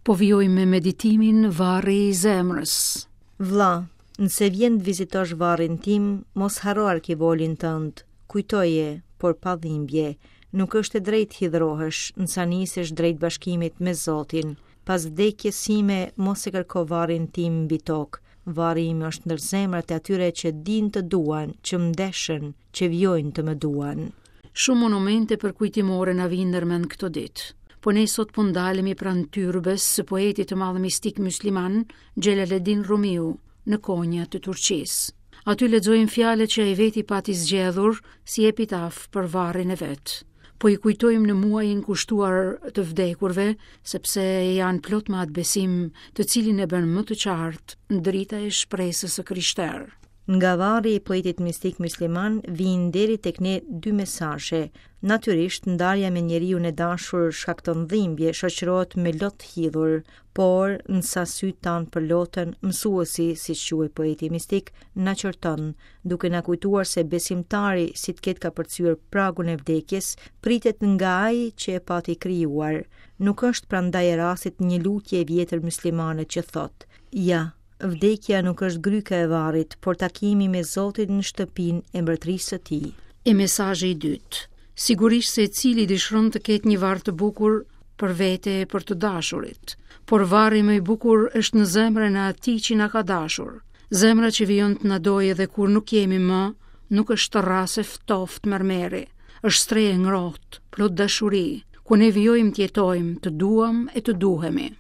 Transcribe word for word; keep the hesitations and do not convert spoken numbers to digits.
Po vijojmë me meditimin Varri i zemrës. Vlla, nëse vjen të vizitosh varrin tim, mos harro arkivolin tënd. Kujtoje, por pa dhimbje. Nuk është e drejtë hidhrohesh, nësa nisesh drejt bashkimit me Zotin. Pas vdekjes sime, mos e kërko varrin tim mbi tokë. Varri im është ndër zemrat e atyre që dinë të duan, që më deshën, që vijojnë të më duan. Shumë monumente përkujtimore na vijnë ndërmend këto ditë. Po ne sot po ndalemi pranë tyrbes së poetit të madh mistik musliman Xhelaleddin Rumiu në Konja të Turqisë. Aty lexojmë fjalët që ai veti pati zgjedhur si epitaf për varrin e vet. Po i kujtojmë në muajin kushtuar të vdekurve, sepse janë plot me atë besim, të cilin e bën më të qartë drita e shpresës së krishterë. Nga varri i poetit mistik musliman vijnë deri tek ne dy mesazhe. Natyrisht, ndarja me njeriun e dashur shkakton dhimbje, shoqërohet me lot hidhur, por nësa sytë tanë përloten, mësuesi, siç quhej poeti mistik, na qorton, duke na kujtuar se besimtari, si të ketë kapërcyer pragun e vdekjes, pritet nga ai që e pati krijuar. Nuk është prandaj e rastit një lutje e vjetër muslimane që thotë: Ja, vdekja nuk është gryka e varrit, por takimi me Zotin në shtëpinë e mbretërisë së tij. E mesazhi i dytë. Sigurisht secili dëshiron të ketë një varr të bukur për vete e për të dashurit, por varri më i bukur është në zemrën e atij që na ka dashur. Zemra që vijon të na dojë edhe kur nuk jemi më, nuk është rrasë e ftoftë mermeri, është strehë e ngrohtë, plot dashuri, ku ne vijojmë të jetojmë, të duam e të duhemi.